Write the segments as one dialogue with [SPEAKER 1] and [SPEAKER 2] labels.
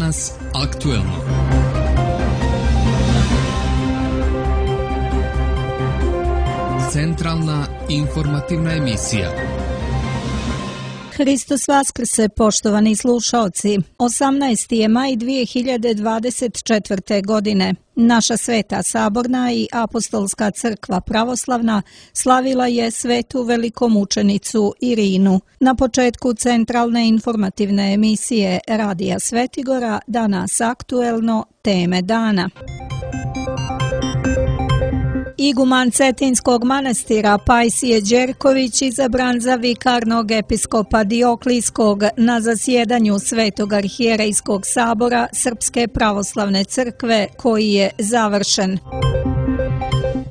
[SPEAKER 1] Danas aktuelno. Centralna informativna emisija.
[SPEAKER 2] Hristos Vaskrse, poštovani slušaoci. 18. je maj 2024. godine. Naša Sveta Saborna i Apostolska crkva pravoslavna slavila je svetu velikomučenicu Irinu. Na početku centralne informativne emisije Radija Svetigora, danas aktuelno, teme dana. Iguman Cetinskog manastira Pajsije Đerković izabran za vikarnog episkopa Dioklijskog na zasjedanju Svetog arhijerejskog sabora Srpske pravoslavne crkve koji je završen.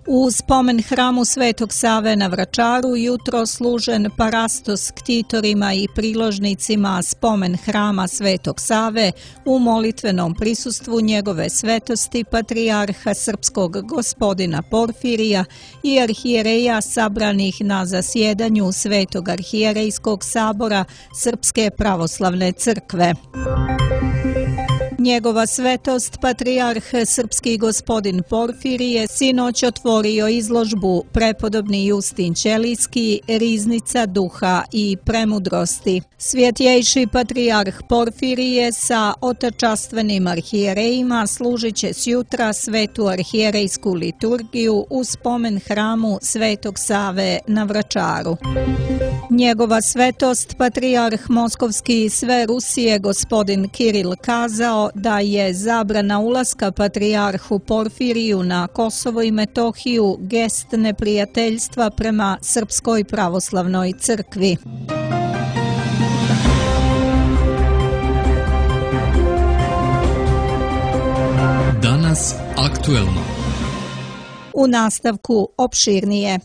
[SPEAKER 2] U spomen hramu Svetog Save na Vračaru jutro služen parastos ktitorima i priložnicima spomen hrama Svetog Save u molitvenom prisustvu njegove svetosti patrijarha srpskog gospodina Porfirija i arhijereja sabranih na zasjedanju Svetog arhijerejskog sabora Srpske pravoslavne crkve. Njegova svetost, patrijarh srpski gospodin Porfirije, sinoć otvorio izložbu Prepodobni Justin Ćelijski, Riznica duha i premudrosti. Svjetjejši patrijarh Porfirije sa otačastvenim arhijerejima služit će sjutra svetu arhijerejsku liturgiju u spomen hramu Svetog Save na Vračaru. Njegova svetost, patrijarh Moskovski i sve Rusije gospodin Kiril kazao da je zabrana ulaska patrijarhu Porfiriju na Kosovo i Metohiju gest neprijateljstva prema Srpskoj pravoslavnoj crkvi.
[SPEAKER 1] Danas aktuelno.
[SPEAKER 2] U nastavku opširnije.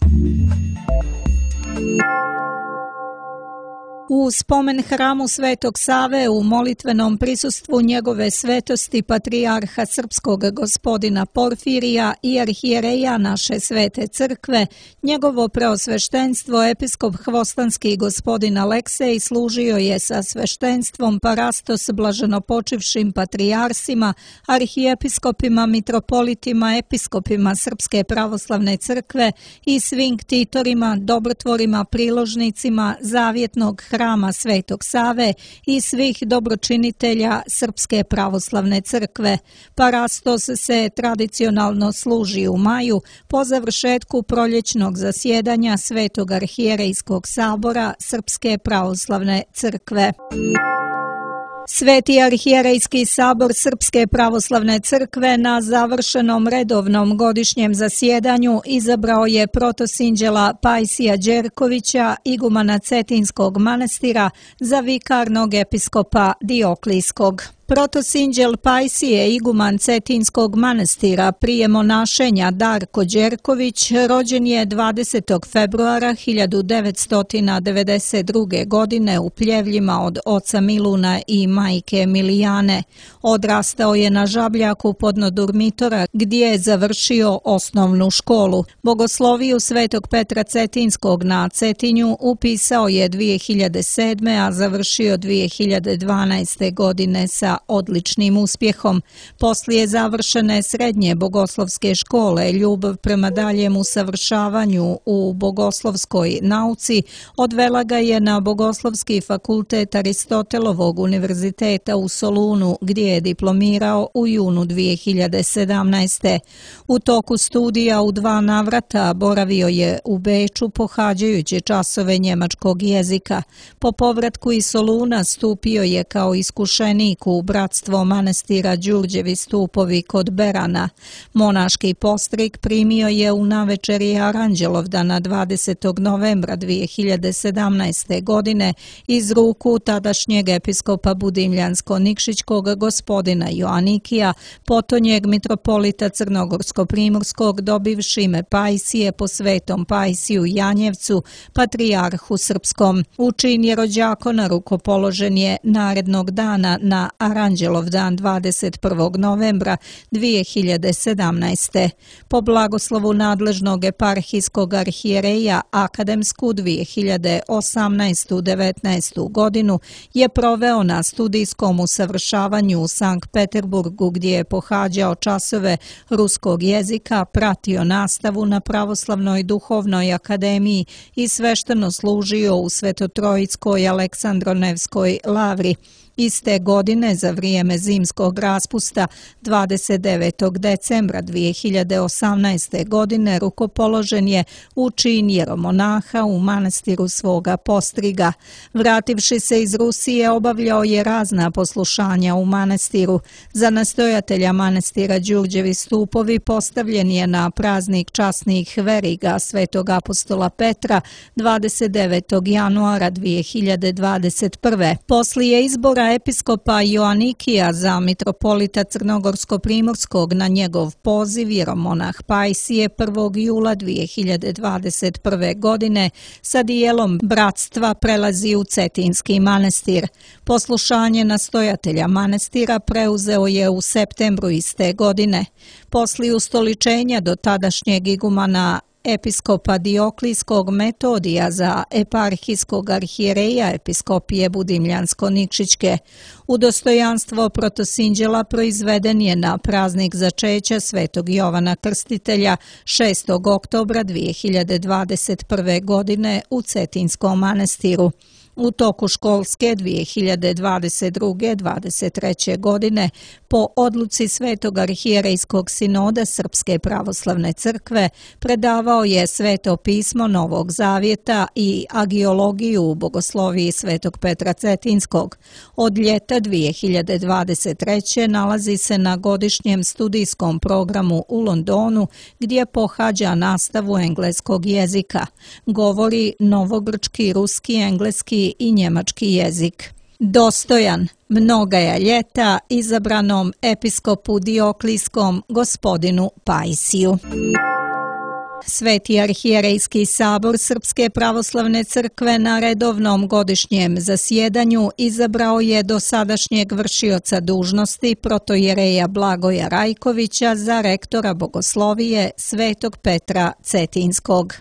[SPEAKER 2] U spomen hramu Svetog Save u molitvenom prisustvu njegove svetosti patrijarha srpskog gospodina Porfirija i arhijereja naše svete crkve, njegovo preosveštenstvo episkop Hvostanski gospodin Aleksej služio je sa sveštenstvom parastos blaženopočivšim patrijarsima, arhijepiskopima, mitropolitima, episkopima Srpske pravoslavne crkve i svim ktitorima, dobrotvorima, priložnicima zavjetnog hrama Svetog Save i svih dobročinitelja Srpske pravoslavne crkve. Parastos se tradicionalno služi u maju po završetku proljećnog zasjedanja Svetog arhijerejskog sabora Srpske pravoslavne crkve. Sveti arhijerejski sabor Srpske pravoslavne crkve na završenom redovnom godišnjem zasjedanju izabrao je protosinđela Pajsija Đerkovića, igumana Cetinskog manastira, za vikarnog episkopa Dioklijskog. Protosinđel Pajsije, iguman Cetinskog manastira prije monašenja Darko Đerković, rođen je 20. februara 1992. godine u Pljevljima od oca Miluna i majke Milijane. Odrastao je na Žabljaku podno Durmitora gdje je završio osnovnu školu. Bogosloviju Svetog Petra Cetinskog na Cetinju upisao je 2007. a završio 2012. godine sa odličnim uspjehom. Poslije završene srednje bogoslovske škole, ljubav prema daljem usavršavanju u bogoslovskoj nauci odvela ga je na Bogoslovski fakultet Aristotelovog univerziteta u Solunu, gdje je diplomirao u junu 2017. U toku studija u 2 navrata boravio je u Beču pohađajući časove njemačkog jezika. Po povratku iz Soluna stupio je kao iskušenik u bratstvo manastira Đurđevi stupovi kod Berana. Monaški postrig primio je u navečeri Aranđelovdana 20. novembra 2017. godine iz ruku tadašnjeg episkopa Budimljansko-Nikšićkog gospodina Joanikija, potonjeg mitropolita Crnogorsko-Primorskog, dobivši ime Pajsije po Svetom Pajsiju Janjevcu, patrijarhu srpskom. U čin jerođakona rukopoložen je narednog dana na Aranđelov dan 21. novembra 2017. Po blagoslovu nadležnog eparhijskog arhijereja akademsku 2018-19. godinu je proveo na studijskom usavršavanju u Sankt Peterburgu gdje je pohađao časove ruskog jezika, pratio nastavu na Pravoslavnoj duhovnoj akademiji i svešteno služio u Svetotrojskoj Aleksandronevskoj lavri. Iste godine, za vrijeme zimskog raspusta, 29. decembra 2018. godine rukopoložen je u čin jeromonaha u manastiru svoga postriga. Vrativši se iz Rusije, obavljao je razna poslušanja u manastiru. Za nastojatelja manastira Đurđevi stupovi postavljen je na praznik časnih veriga svetog apostola Petra 29. januara 2021. Poslije izbora episkopa Joanikija za mitropolita Crnogorsko-primorskog na njegov poziv jeromonah Pajsije 1. jula 2021. godine sa dijelom bratstva prelazi u Cetinski manastir. Poslušanje nastojatelja manastira preuzeo je u septembru iste godine. Poslije ustoličenja do tadašnjeg igumana episkopa Dioklijskog Metodija za eparhijskog arhijereja episkopije Budimljansko-Nikšićke. Udostojanstvo protosinđela proizveden je na praznik začeća svetog Jovana Krstitelja 6. oktobra 2021. godine u Cetinskom manastiru. U toku školske 2022-23. godine po odluci Svetog arhijerejskog sinoda Srpske pravoslavne crkve predavao je Sveto pismo Novog Zavjeta i agiologiju u bogosloviji Svetog Petra Cetinskog. Od ljeta 2023. nalazi se na godišnjem studijskom programu u Londonu gdje pohađa nastavu engleskog jezika. Govori novogrčki, ruski, engleski i njemački jezik. Dostojan mnogaja ljeta izabranom episkopu Dioklijskom gospodinu Pajsiju. Sveti arhijerejski sabor Srpske pravoslavne crkve na redovnom godišnjem zasjedanju izabrao je dosadašnjeg vršioca dužnosti protojereja Blagoja Rajkovića za rektora bogoslovije Svetog Petra Cetinskog.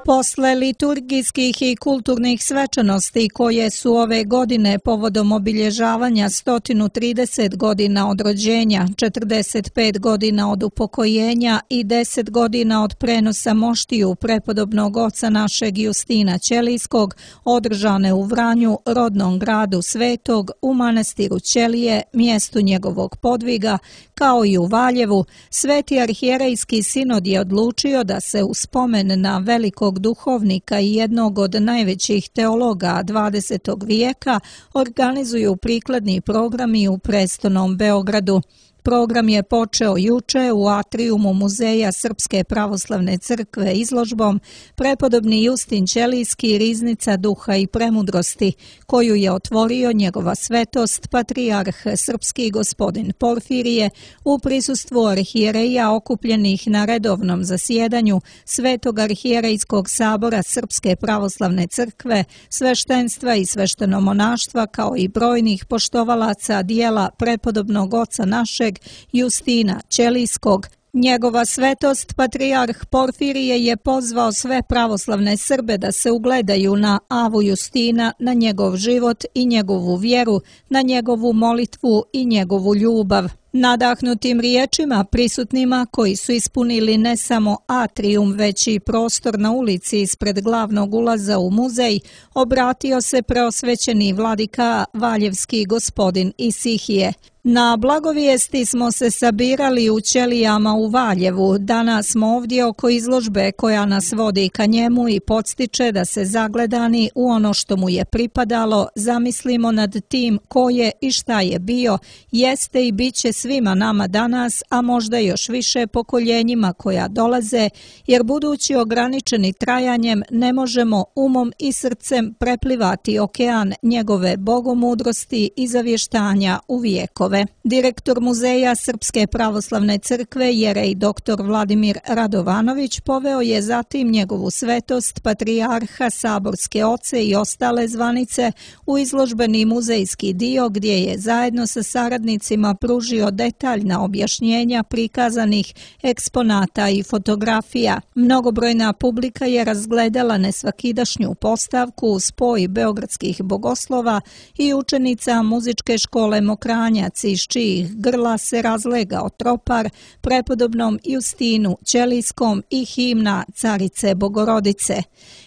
[SPEAKER 2] Posle liturgijskih i kulturnih svečanosti koje su ove godine povodom obilježavanja 130 godina od rođenja, 45 godina od upokojenja i 10 godina od prenosa moštiju prepodobnog oca našeg Justina Ćelijskog, održane u Vranju, rodnom gradu Svetog, u manastiru Ćelije, mjestu njegovog podviga, kao i u Valjevu, Sveti arhijerejski sinod je odlučio da se u spomen na velikog duhovnika i jednog od najvećih teologa 20. vijeka organizuju prikladni programi u prestolnom Beogradu. Program je počeo juče u atrijumu Muzeja Srpske pravoslavne crkve izložbom Prepodobni Justin Ćelijski, riznica duha i premudrosti, koju je otvorio njegova svetost patrijarh srpski gospodin Porfirije u prisustvu arhijereja okupljenih na redovnom zasjedanju Svetog arhijerejskog sabora Srpske pravoslavne crkve, sveštenstva i sveštenomonaštva, kao i brojnih poštovalaca dijela prepodobnog oca našeg Justina Ćelijskog. Njegova svetost patrijarh Porfirije je pozvao sve pravoslavne Srbe da se ugledaju na Avu Justina, na njegov život i njegovu vjeru, na njegovu molitvu i njegovu ljubav. Nadahnutim riječima prisutnima koji su ispunili ne samo atrijum, već i prostor na ulici ispred glavnog ulaza u muzej, obratio se preosvećeni vladika Valjevski gospodin Isihije. Na blagovijesti smo se sabirali u Ćelijama u Valjevu. Danas smo ovdje oko izložbe koja nas vodi ka njemu i podstiče da se zagledani u ono što mu je pripadalo, zamislimo nad tim ko je i šta je bio, jeste i bit će svima nama danas, a možda još više pokoljenjima koja dolaze, jer budući ograničeni trajanjem ne možemo umom i srcem preplivati okean njegove bogomudrosti i zavještanja u vijekove. Direktor Muzeja Srpske pravoslavne crkve jerej dr. Vladimir Radovanović poveo je zatim njegovu svetost, patrijarha, saborske oce i ostale zvanice u izložbeni muzejski dio gdje je zajedno sa saradnicima pružio detaljna objašnjenja prikazanih eksponata i fotografija. Mnogobrojna publika je razgledala nesvakidašnju postavku u spoj beogradskih bogoslova i učenica muzičke škole Mokranjac iz čijih grla se razlegao tropar prepodobnom Justinu Ćelijskom i himna Carice Bogorodice.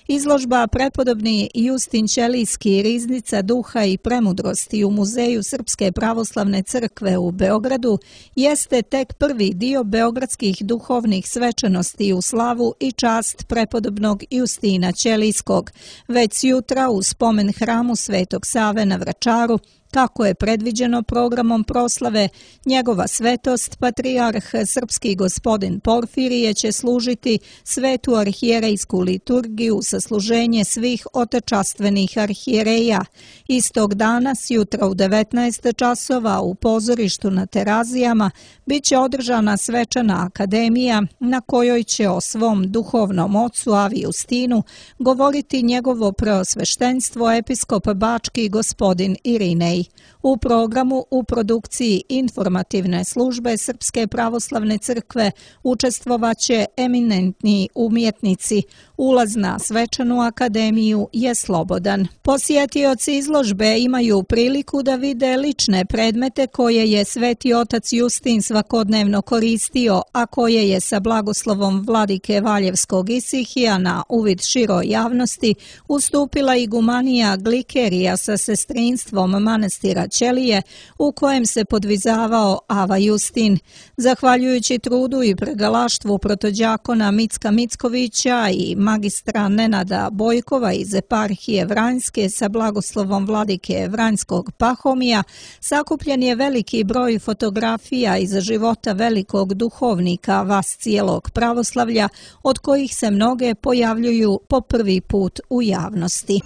[SPEAKER 2] Izložba Prepodobni Justin Ćelijski riznica duha i premudrosti u Muzeju Srpske pravoslavne crkve u Beogradu jeste tek prvi dio beogradskih duhovnih svečanosti u slavu i čast prepodobnog Justina Ćelijskog, već jutra u spomen hramu Svetog Save na Vračaru, kako je predviđeno programom proslave, njegova svetost, patrijarh srpski gospodin Porfirije će služiti svetu arhijerejsku liturgiju sa služenje svih otečastvenih arhijereja. Istog dana, sjutra u 19 časova u pozorištu na Terazijama, bit će održana svečana akademija na kojoj će o svom duhovnom ocu Avi Justinu govoriti njegovo preosveštenstvo episkop bački gospodin Irinej. U programu u produkciji informativne službe Srpske pravoslavne crkve učestvovaće eminentni umjetnici. Ulaz na svečanu akademiju je slobodan. Posjetioci izložbe imaju priliku da vide lične predmete koje je Sveti otac Justin svakodnevno koristio, a koje je sa blagoslovom vladike Valjevskog Isihija na uvid široj javnosti ustupila igumanija Glikerija sa sestrinstvom manastira Ćelije, u kojem se podvizavao Ava Justin. Zahvaljujući trudu i pregalaštvu protođakona Micka Mickovića i magistra Nenada Bojkova iz eparhije Vranjske sa blagoslovom vladike Vranjskog Pahomija, sakupljen je veliki broj fotografija iz života velikog duhovnika vas cijelog pravoslavlja, od kojih se mnoge pojavljuju po prvi put u javnosti.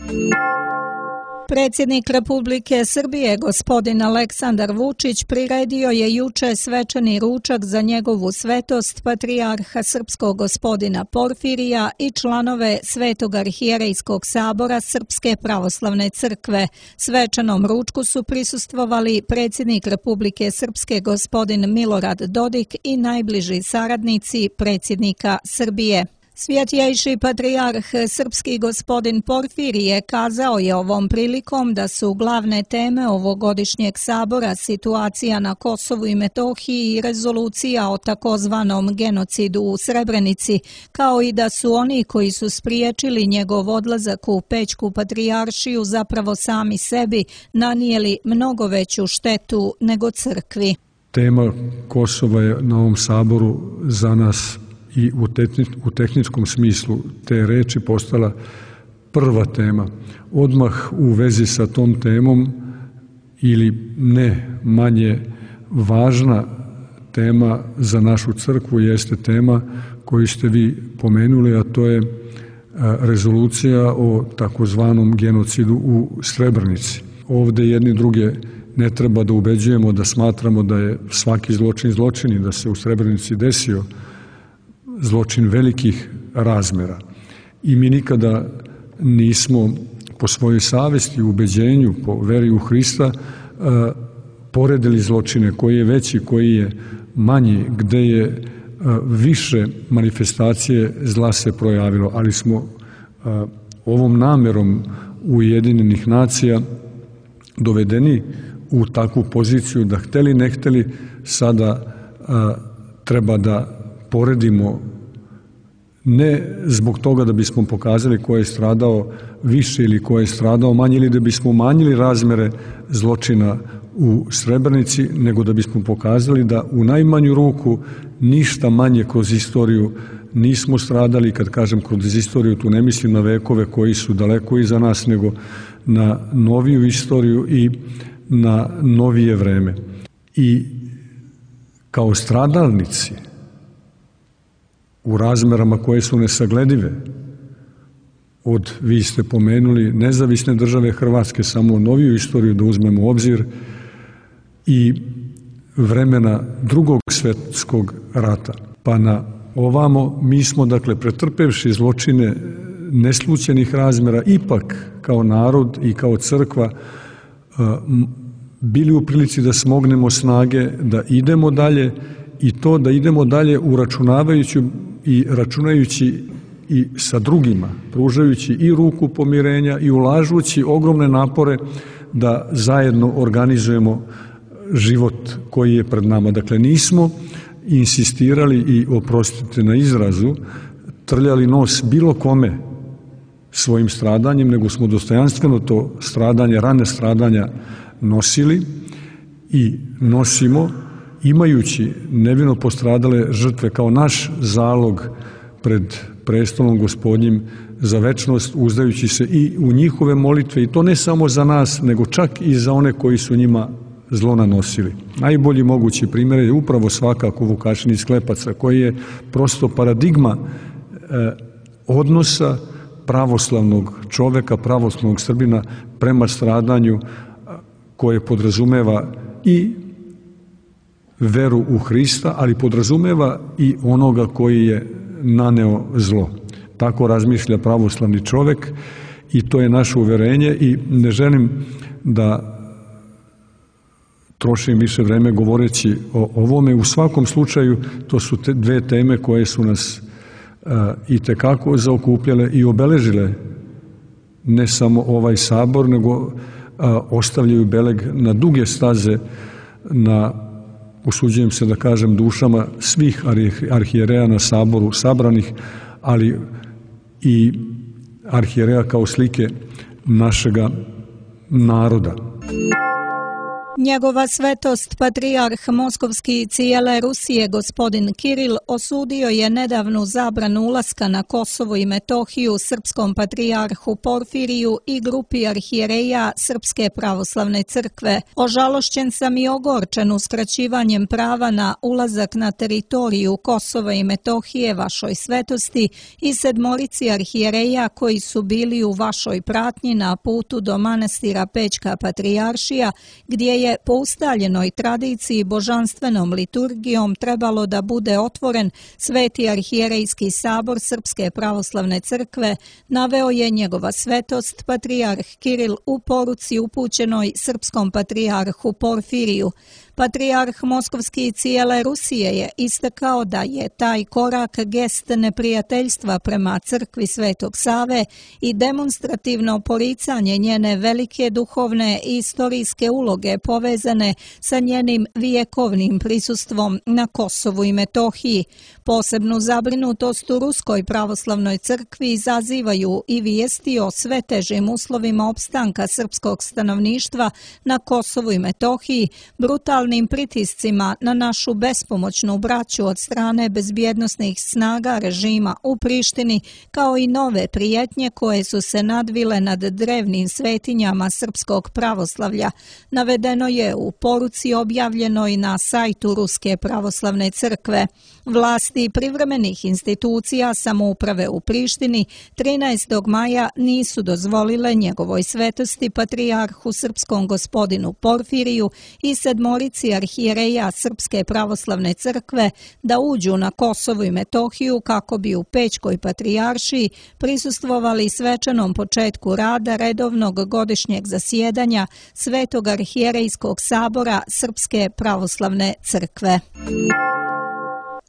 [SPEAKER 2] Predsjednik Republike Srbije, gospodin Aleksandar Vučić, priredio je juče svečani ručak za njegovu svetost, patrijarha srpskog gospodina Porfirija i članove Svetog arhijerejskog sabora Srpske pravoslavne crkve. Svečanom ručku su prisustvovali predsjednik Republike Srpske, gospodin Milorad Dodik i najbliži saradnici predsjednika Srbije. Svjetjejši patrijarh srpski gospodin Porfirije kazao je ovom prilikom da su glavne teme ovogodišnjeg sabora situacija na Kosovu i Metohiji i rezolucija o takozvanom genocidu u Srebrenici, kao i da su oni koji su spriječili njegov odlazak u Pećku patrijaršiju zapravo sami sebi nanijeli mnogo veću štetu nego crkvi.
[SPEAKER 3] Tema Kosova je na ovom saboru za nas i u tehničkom smislu te reči postala prva tema. Odmah u vezi sa tom temom ili ne manje važna tema za našu crkvu jeste tema koju ste vi pomenuli, a to je rezolucija o takozvanom genocidu u Srebrenici. Ovde jedni druge ne treba da ubeđujemo da smatramo da je svaki zločin zločin i da se u Srebrenici desio zločin velikih razmera. I mi nikada nismo po svojoj savesti, ubeđenju, po veri u Hrista poredili zločine, koji je veći, koji je manji, gde je više manifestacije zla se projavilo, ali smo ovom namerom Ujedinjenih nacija dovedeni u takvu poziciju da hteli ne hteli sada treba da poredimo ne zbog toga da bismo pokazali ko je stradao više ili ko je stradao manje ili da bismo umanjili razmere zločina u Srebrenici, nego da bismo pokazali da u najmanju ruku ništa manje kroz istoriju nismo stradali. Kad kažem kroz istoriju, tu ne mislim na vekove koji su daleko iza nas, nego na noviju istoriju i na novije vreme. I kao stradalnici u razmerama koje su nesagledive od, vi ste pomenuli, nezavisne države Hrvatske, samo noviju istoriju da uzmemo u obzir, i vremena Drugog svjetskog rata. Pa na ovamo mi smo, dakle, pretrpevši zločine neslućenih razmjera, ipak kao narod i kao crkva bili u prilici da smognemo snage, da idemo dalje, i to da idemo dalje uračunavajući i računajući i sa drugima, pružajući i ruku pomirenja i ulažući ogromne napore da zajedno organizujemo život koji je pred nama. Dakle, nismo insistirali i, oprostite na izrazu, trljali nos bilo kome svojim stradanjem, nego smo dostojanstveno to stradanje, rane stradanja nosili i nosimo, imajući nevino postradale žrtve kao naš zalog pred prestolom Gospodnjim za večnost, uzdajući se i u njihove molitve, i to ne samo za nas, nego čak i za one koji su njima zlo nanosili. Najbolji mogući primjer je upravo svakako Vukašin iz Klepaca, koji je prosto paradigma odnosa pravoslavnog čoveka, pravoslavnog Srbina prema stradanju, koje podrazumeva i veru u Hrista, ali podrazumeva i onoga koji je naneo zlo. Tako razmišlja pravoslavni čovek i to je naše uverenje, i ne želim da trošim više vreme govoreći o ovome. U svakom slučaju to su dve teme koje su nas i tekako zaokupljale i obeležile ne samo ovaj sabor, nego ostavljaju beleg na duge staze na, usuđujem se da kažem, dušama svih arhijereja na saboru sabranih, ali i arhijereja kao slike našega naroda.
[SPEAKER 2] Njegova svetost patrijarh Moskovski i cijele Rusije gospodin Kiril osudio je nedavnu zabranu ulaska na Kosovo i Metohiju srpskom patrijarhu Porfiriju i grupi arhijereja Srpske pravoslavne crkve. Ožalošćen sam i ogorčen uskraćivanjem prava na ulazak na teritoriju Kosova i Metohije vašoj svetosti i sedmorici arhijereja koji su bili u vašoj pratnji na putu do manastira Pećka patrijaršija, gdje je po ustaljenoj tradiciji božanstvenom liturgijom trebalo da bude otvoren Sveti arhijerejski sabor Srpske pravoslavne crkve, naveo je njegova svetost patrijarh Kiril u poruci upućenoj srpskom patrijarhu Porfiriju. Patrijarh Moskovski i cijele Rusije je istakao da je taj korak gest neprijateljstva prema crkvi Svetog Save i demonstrativno poricanje njene velike duhovne i istorijske uloge povezane sa njenim vijekovnim prisustvom na Kosovu i Metohiji. Posebnu zabrinutost u Ruskoj pravoslavnoj crkvi izazivaju i vijesti o sve težim uslovima opstanka srpskog stanovništva na Kosovu i Metohiji, brutalnim pritiscima na našu bespomoćnu braću od strane bezbjednosnih snaga režima u Prištini, kao i nove prijetnje koje su se nadvile nad drevnim svetinjama srpskog pravoslavlja, navedeno je u poruci objavljenoj na sajtu Ruske pravoslavne crkve. Vlasti privremenih institucija samouprave u Prištini 13. maja nisu dozvolile njegovoj svetosti patrijarhu srpskom gospodinu Porfiriju i sedmorici arhijereja Srpske pravoslavne crkve da uđu na Kosovo i Metohiju kako bi u Pećkoj patrijaršiji prisustvovali svečanom početku rada redovnog godišnjeg zasjedanja Svetog arhijerejskog sabora Srpske pravoslavne crkve.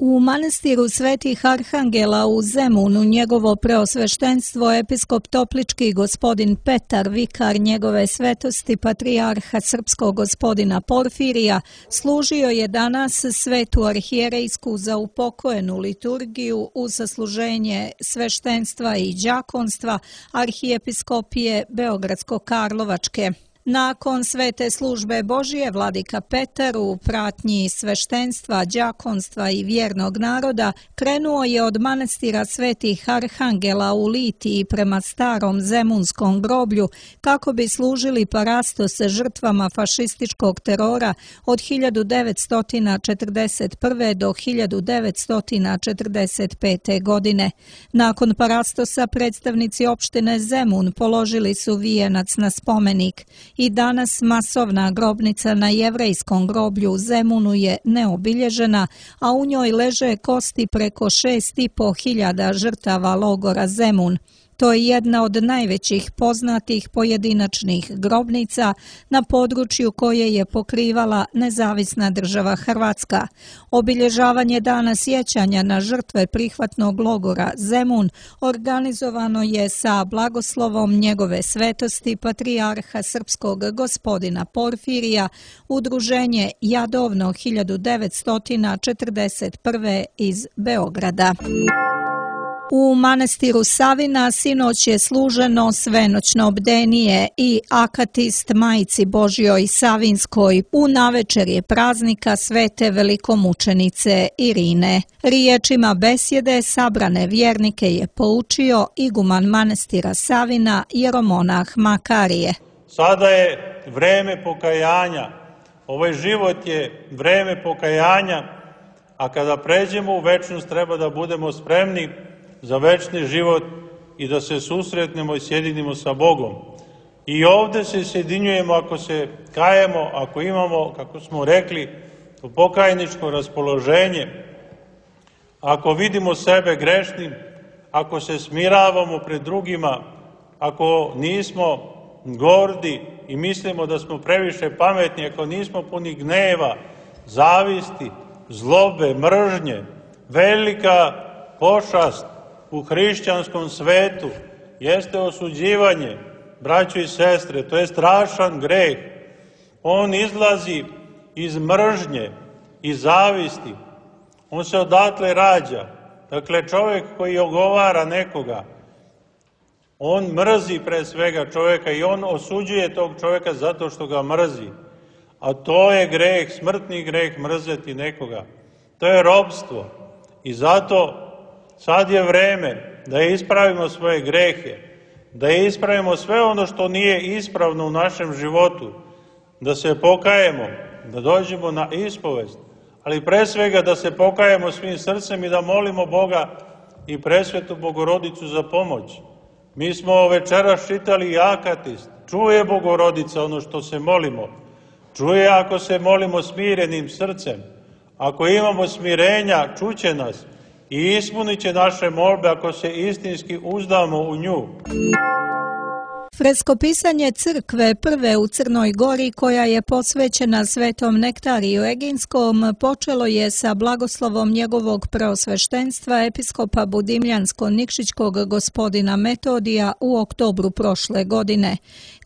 [SPEAKER 2] U manastiru Svetih Arhangela u Zemunu njegovo preosveštenstvo episkop Toplički gospodin Petar, vikar njegove svetosti patrijarha srpskog gospodina Porfirija, služio je danas svetu arhijerejsku za upokojenu liturgiju uz sasluženje sveštenstva i đakonstva arhijepiskopije Beogradsko-Karlovačke. Nakon svete službe Božije, vladika Petar u pratnji sveštenstva, đakonstva i vjernog naroda krenuo je od manastira svetih Arhangela u Litiji prema starom zemunskom groblju kako bi služili parastos žrtvama fašističkog terora od 1941. do 1945. godine. Nakon parastosa predstavnici opštine Zemun položili su vijenac na spomenik. I danas masovna grobnica na jevrejskom groblju u Zemunu je neobilježena, a u njoj leže kosti preko 6.500 žrtava logora Zemun. To je jedna od najvećih poznatih pojedinačnih grobnica na području koje je pokrivala nezavisna država Hrvatska. Obilježavanje dana sjećanja na žrtve prihvatnog logora Zemun organizovano je sa blagoslovom njegove svetosti patrijarha srpskog gospodina Porfirija, udruženje Jadovno 1941. iz Beograda. U manastiru Savina sinoć je služeno svenoćno bdenije i akatist Majci Božjoj Savinskoj u navečerje praznika svete velikomučenice Irine. Riječima besjede sabrane vjernike je poučio iguman manastira Savina jeromonah Makarije.
[SPEAKER 4] Sada je vreme pokajanja, ovaj život je vreme pokajanja, a kada pređemo u večnost treba da budemo spremni za večni život i da se susretnemo i sjedinimo sa Bogom. I ovdje se sjedinjujemo ako se kajemo, ako imamo, kako smo rekli, pokajničko raspoloženje, ako vidimo sebe grešnim, ako se smiravamo pred drugima, ako nismo gordi i mislimo da smo previše pametni, ako nismo puni gneva, zavisti, zlobe, mržnje, velika pošast u hrišćanskom svetu jeste osuđivanje, braćo i sestre, to je strašan greh. On izlazi iz mržnje i zavisti. On se odatle rađa. Dakle, čovjek koji ogovara nekoga, on mrzi pre svega čovjeka i on osuđuje tog čovjeka zato što ga mrzi. A to je greh, smrtni greh, mrzeti nekoga. To je ropstvo. I zato sad je vreme da ispravimo svoje grehe, da ispravimo sve ono što nije ispravno u našem životu, da se pokajemo, da dođemo na ispovest, ali pre svega da se pokajemo svim srcem i da molimo Boga i presvetu Bogorodicu za pomoć. Mi smo večeras čitali akatist, čuje Bogorodica ono što se molimo, čuje ako se molimo smirenim srcem, ako imamo smirenja, čuće nas i ispunit će naše molbe ako se istinski uzdamo u nju.
[SPEAKER 2] Freskopisanje crkve prve u Crnoj Gori, koja je posvećena svetom Nektariju Eginskom, počelo je sa blagoslovom njegovog preosveštenstva episkopa Budimljansko-Nikšićkog gospodina Metodija u oktobru prošle godine.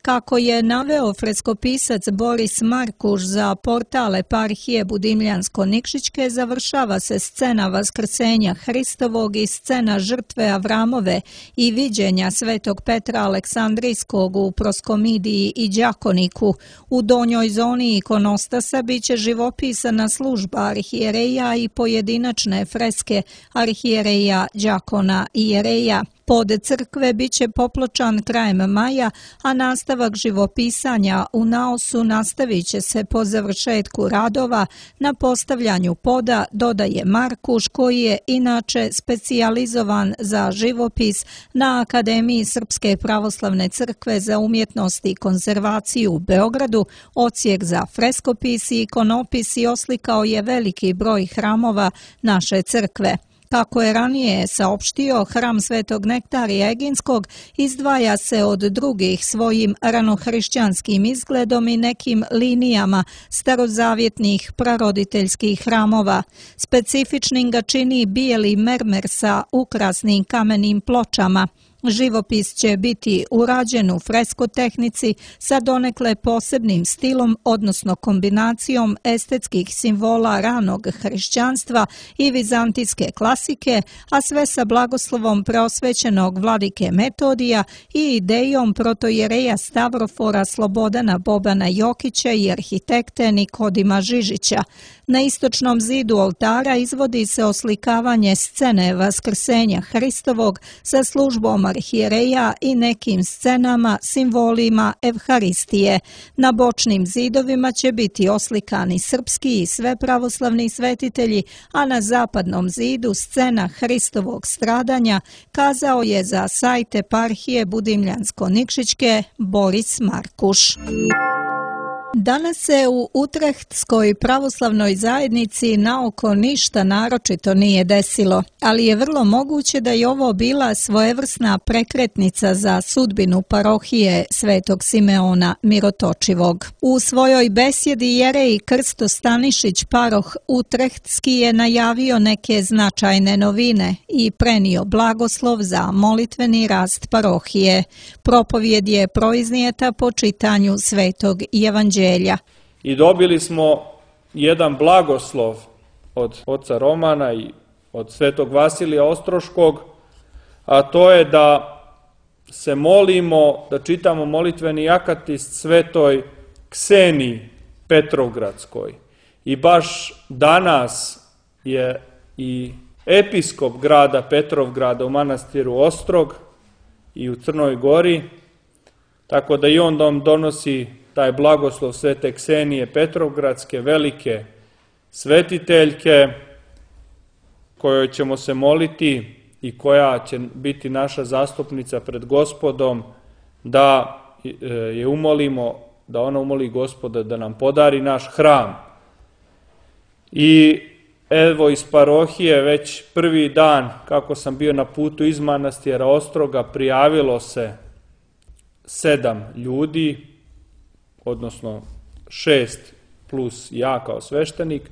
[SPEAKER 2] Kako je naveo freskopisac Boris Markuš za portal Eparhije Budimljansko-Nikšićke, završava se scena Vaskrsenja Hristovog i scena žrtve Avramove i viđenja svetog Petra Aleksandrijskog u Proskomidiji i Đakoniku. U donjoj zoni ikonostasa biće živopisana služba arhijereja i pojedinačne freske arhijereja, đakona i jereja. Pod crkve biće popločan krajem maja, a nastavak živopisanja u naosu nastavit će se po završetku radova na postavljanju poda, dodaje Markuš, koji je inače specijalizovan za živopis na Akademiji Srpske pravoslavne crkve za umjetnost i konzervaciju u Beogradu. Odsjek za freskopis i ikonopis i oslikao je veliki broj hramova naše crkve. Kako je ranije saopštio, hram Svetog Nektarija Eginskog izdvaja se od drugih svojim ranohrišćanskim izgledom i nekim linijama starozavjetnih praroditeljskih hramova. Specifičnim ga čini bijeli mermer sa ukrasnim kamenim pločama. Živopis će biti urađen u fresko tehnici sa donekle posebnim stilom, odnosno kombinacijom estetskih simbola ranog hrišćanstva i vizantijske klasike, a sve sa blagoslovom preosvećenog vladike Metodija i idejom protojereja Stavrofora Slobodana Bobana Jokića i arhitekte Nikodima Žižića. Na istočnom zidu oltara izvodi se oslikavanje scene Vaskrsenja Hristovog sa službom arhijereja i nekim scenama, simbolima Evharistije. Na bočnim zidovima će biti oslikani srpski i sve pravoslavni svetitelji, a na zapadnom zidu scena Hristovog stradanja, kazao je za sajt eparhije Budimljansko-Nikšićke Boris Markuš. Danas se u Utrehtskoj pravoslavnoj zajednici naoko ništa naročito nije desilo, ali je vrlo moguće da je ovo bila svojevrsna prekretnica za sudbinu parohije Svetog Simeona Mirotočivog. U svojoj besjedi jerej Krsto Stanišić, paroh Utrehtski, je najavio neke značajne novine i prenio blagoslov za molitveni rast parohije. Propovjed je proiznijeta po čitanju Svetog Evanđelja.
[SPEAKER 5] I dobili smo jedan blagoslov od oca Romana i od svetog Vasilija Ostroškog, a to je da se molimo, da čitamo molitveni akatist svetoj Kseniji Petrovgradskoj. I baš danas je i episkop grada Petrovgrada u manastiru Ostrog i u Crnoj Gori, tako da i on donosi taj blagoslov svete Ksenije Petrovgradske, velike svetiteljke, kojoj ćemo se moliti i koja će biti naša zastupnica pred Gospodom, da je umolimo, da ona umoli Gospoda da nam podari naš hram. I evo iz parohije već prvi dan kako sam bio na putu iz manastira Ostroga prijavilo se 7 ljudi, odnosno 6 plus ja kao sveštenik,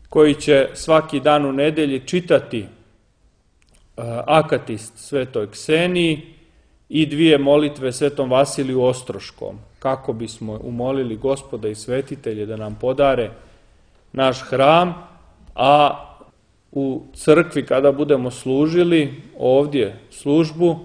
[SPEAKER 5] koji će svaki dan u nedelji čitati akatist svetoj Kseniji i 2 molitve svetom Vasiliju Ostroškom, kako bismo umolili Gospoda i svetitelje da nam podare naš hram, a u crkvi kada budemo služili ovdje službu,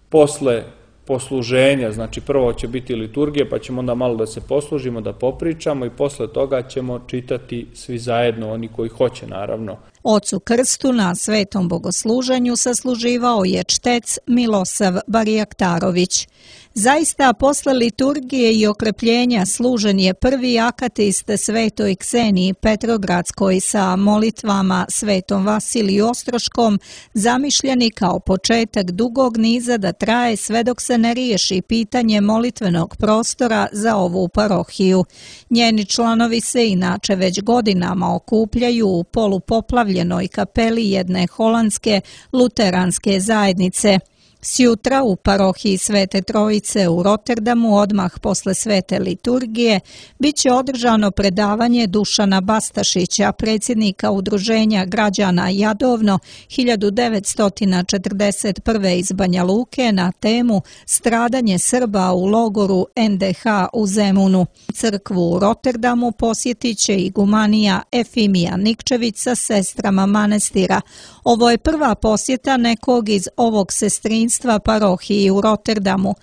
[SPEAKER 5] posle posluženja, znači prvo će biti liturgija, pa ćemo onda malo da se poslužimo, da popričamo i posle toga ćemo čitati svi zajedno, oni koji hoće naravno.
[SPEAKER 2] Ocu Krstu na svetom bogosluženju sasluživao je čtec Milosav Barjaktarović. Zaista, posle liturgije i okrepljenja služen je prvi akatist svetoj Kseniji Petrogradskoj sa molitvama svetom Vasiliju Ostroškom, zamišljeni kao početak dugog niza da traje sve dok se ne riješi pitanje molitvenog prostora za ovu parohiju. Njeni članovi se inače već godinama okupljaju u polupoplavljenoj kapeli jedne holandske luteranske zajednice. Sjutra u parohiji Svete Trojice u Rotterdamu, odmah posle svete liturgije, bit će održano predavanje Dušana Bastašića, predsjednika Udruženja građana Jadovno 1941. iz Banja Luke, na temu Stradanje Srba u logoru NDH u Zemunu. Crkvu u Rotterdamu posjetit će igumanija Efimija Nikčević sa sestrama manastira. Ovo je prva posjeta nekog iz ovog sestrinstva parohiji u Rotterdamu.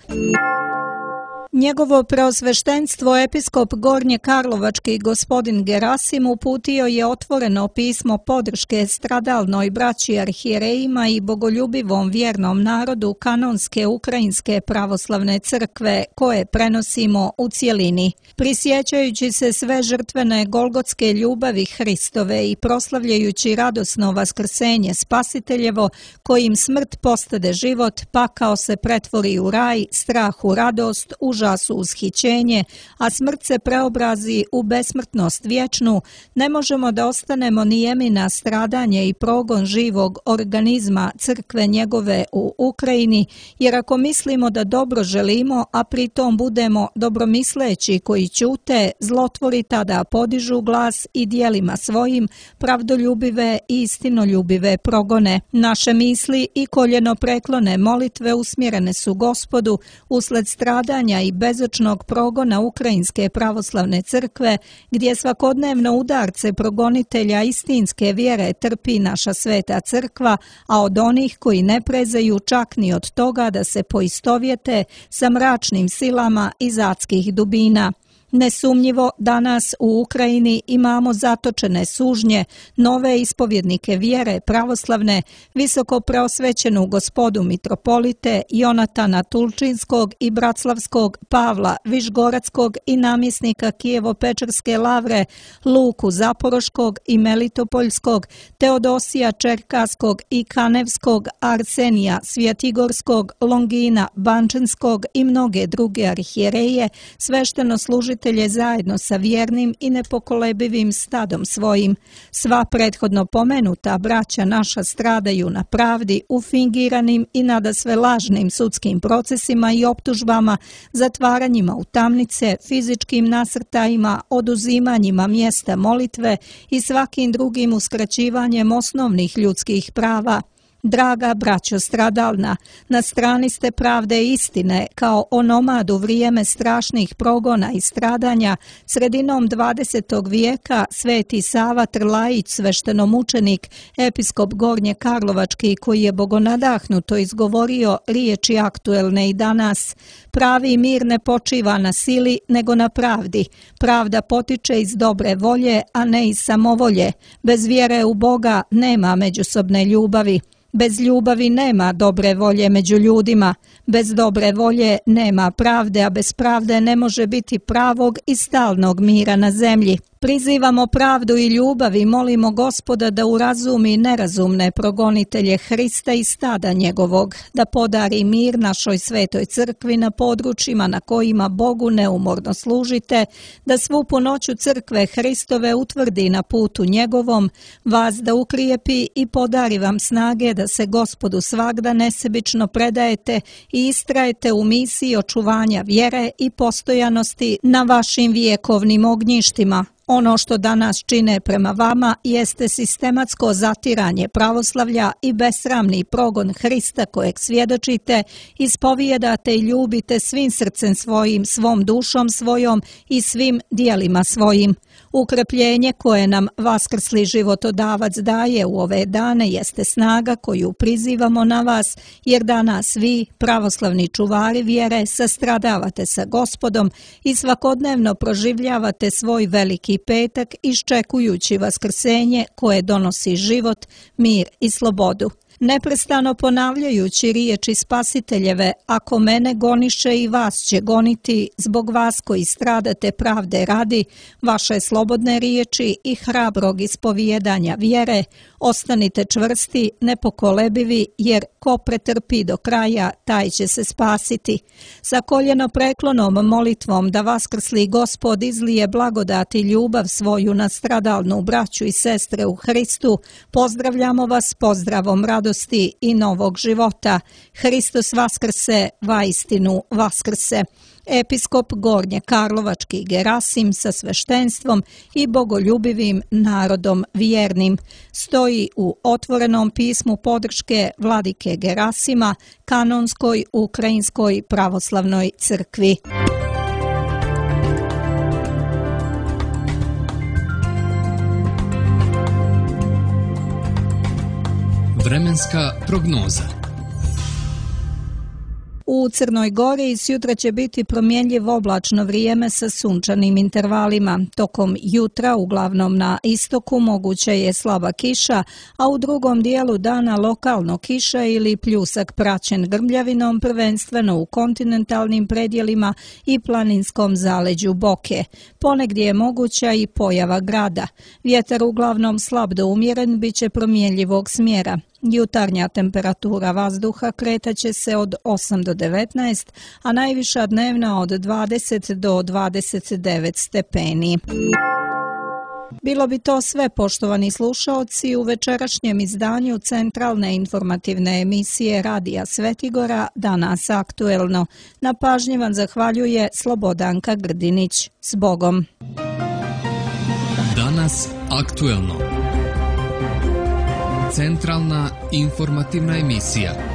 [SPEAKER 2] Njegovo preosveštenstvo episkop Gornje Karlovački gospodin Gerasim uputio je otvoreno pismo podrške stradalnoj braći arhijerejima i bogoljubivom vjernom narodu kanonske Ukrajinske pravoslavne crkve, koje prenosimo u cjelini. Prisjećajući se sve žrtvene golgotske ljubavi Hristove i proslavljajući radosno vaskrsenje Spasiteljevo, kojim smrt postade život, pakao se pretvori u raj, strah u radost, užas užas u ushićenje, a smrt se preobrazi u besmrtnost vječnu, ne možemo da ostanemo nijemi na stradanje i progon živog organizma crkve njegove u Ukrajini, jer ako mislimo da dobro želimo, a pritom budemo dobromisleći koji ćute, zlotvori tada podižu glas i dijelima svojim pravdoljubive i istinoljubive progone. Naše misli i koljeno preklone molitve usmjerene su Gospodu usled stradanja i bezočnog progona Ukrajinske pravoslavne crkve, gdje svakodnevno udarce progonitelja istinske vjere trpi naša sveta crkva, a od onih koji ne prezeju čak ni od toga da se poistovjete sa mračnim silama iz adskih dubina. Nesumnjivo danas u Ukrajini imamo zatočene sužnje, nove ispovjednike vjere pravoslavne, visoko preosvećenu gospodu mitropolite Jonatana Tulčinskog i Braclavskog, Pavla Višgoradskog i namjesnika Kijevo-Pečerske lavre, Luku Zaporoškog i Melitopoljskog, Teodosija Čerkaskog i Kanevskog, Arsenija Svjetigorskog, Longina Bančinskog i mnoge druge arhijereje, svešteno služitelje zajedno sa vjernim i nepokolebivim stadom svojim. Sva prethodno pomenuta braća naša stradaju na pravdi u fingiranim i nadasve lažnim sudskim procesima i optužbama, zatvaranjima u tamnice, fizičkim nasrtajima, oduzimanjima mjesta molitve i svakim drugim uskraćivanjem osnovnih ljudskih prava. Draga braćo stradalna, na strani ste pravde i istine, kao onomad u vrijeme strašnih progona i stradanja, sredinom 20. vijeka sveti Sava Trlajić, sveštenomučenik, episkop Gornje Karlovački, koji je bogonadahnuto izgovorio riječi aktuelne i danas. Pravi mir ne počiva na sili, nego na pravdi. Pravda potiče iz dobre volje, a ne iz samovolje. Bez vjere u Boga nema međusobne ljubavi. Bez ljubavi nema dobre volje među ljudima, bez dobre volje nema pravde, a bez pravde ne može biti pravog i stalnog mira na zemlji. Prizivamo pravdu i ljubav i molimo Gospoda da urazumi nerazumne progonitelje Hrista i stada njegovog, da podari mir našoj svetoj crkvi na područjima na kojima Bogu neumorno služite, da svu punoću crkve Hristove utvrdi na putu njegovom, vas da ukrijepi i podari vam snage da se Gospodu svagda nesebično predajete i istrajete u misiji očuvanja vjere i postojanosti na vašim vijekovnim ognjištima. Ono što danas čine prema vama jeste sistematsko zatiranje pravoslavlja i besramni progon Hrista kojeg svjedočite, ispovijedate i ljubite svim srcem svojim, svom dušom svojom i svim dijelima svojim. Ukrepljenje koje nam vaskrsli životodavac daje u ove dane jeste snaga koju prizivamo na vas, jer danas vi, pravoslavni čuvari vjere, sastradavate sa Gospodom i svakodnevno proživljavate svoj veliki petak iščekujući vaskrsenje koje donosi život, mir i slobodu. Neprestano ponavljajući riječi Spasiteljeve, ako mene goniše i vas će goniti, zbog vas koji stradate pravde radi, vaše slobodne riječi i hrabrog ispovijedanja vjere, ostanite čvrsti, nepokolebivi, jer ko pretrpi do kraja, taj će se spasiti. Sa koljeno preklonom molitvom da vaskrsli Gospod izlije blagodat i ljubav svoju na stradalnu braću i sestre u Hristu, pozdravljamo vas pozdravom radosti i novog života. Hristos vaskrse, vaistinu vaskrse. Episkop Gornje Karlovački Gerasim sa sveštenstvom i bogoljubivim narodom vjernim stoji u otvorenom pismu podrške vladike Gerasima Kanonskoj Ukrajinskoj pravoslavnoj crkvi.
[SPEAKER 1] Vremenska prognoza.
[SPEAKER 2] U Crnoj Gori sjutra će biti promjenjivo oblačno vrijeme sa sunčanim intervalima. Tokom jutra, uglavnom na istoku, moguća je slaba kiša, a u drugom dijelu dana lokalno kiša ili pljusak praćen grmljavinom, prvenstveno u kontinentalnim predjelima i planinskom zaleđu Boke. Ponegdje je moguća i pojava grada. Vjetar uglavnom slab do umjeren bit će promjenjivog smjera. Jutarnja temperatura vazduha kretaće se od 8 do 19, a najviša dnevna od 20 do 29 stepeni. Bilo bi to sve, poštovani slušaoci, u večerašnjem izdanju centralne informativne emisije Radija Svetigora Danas aktuelno. Na pažnji vam zahvaljuje Slobodanka Grdinić. S Bogom!
[SPEAKER 1] Danas aktuelno. Centralna informativna emisija.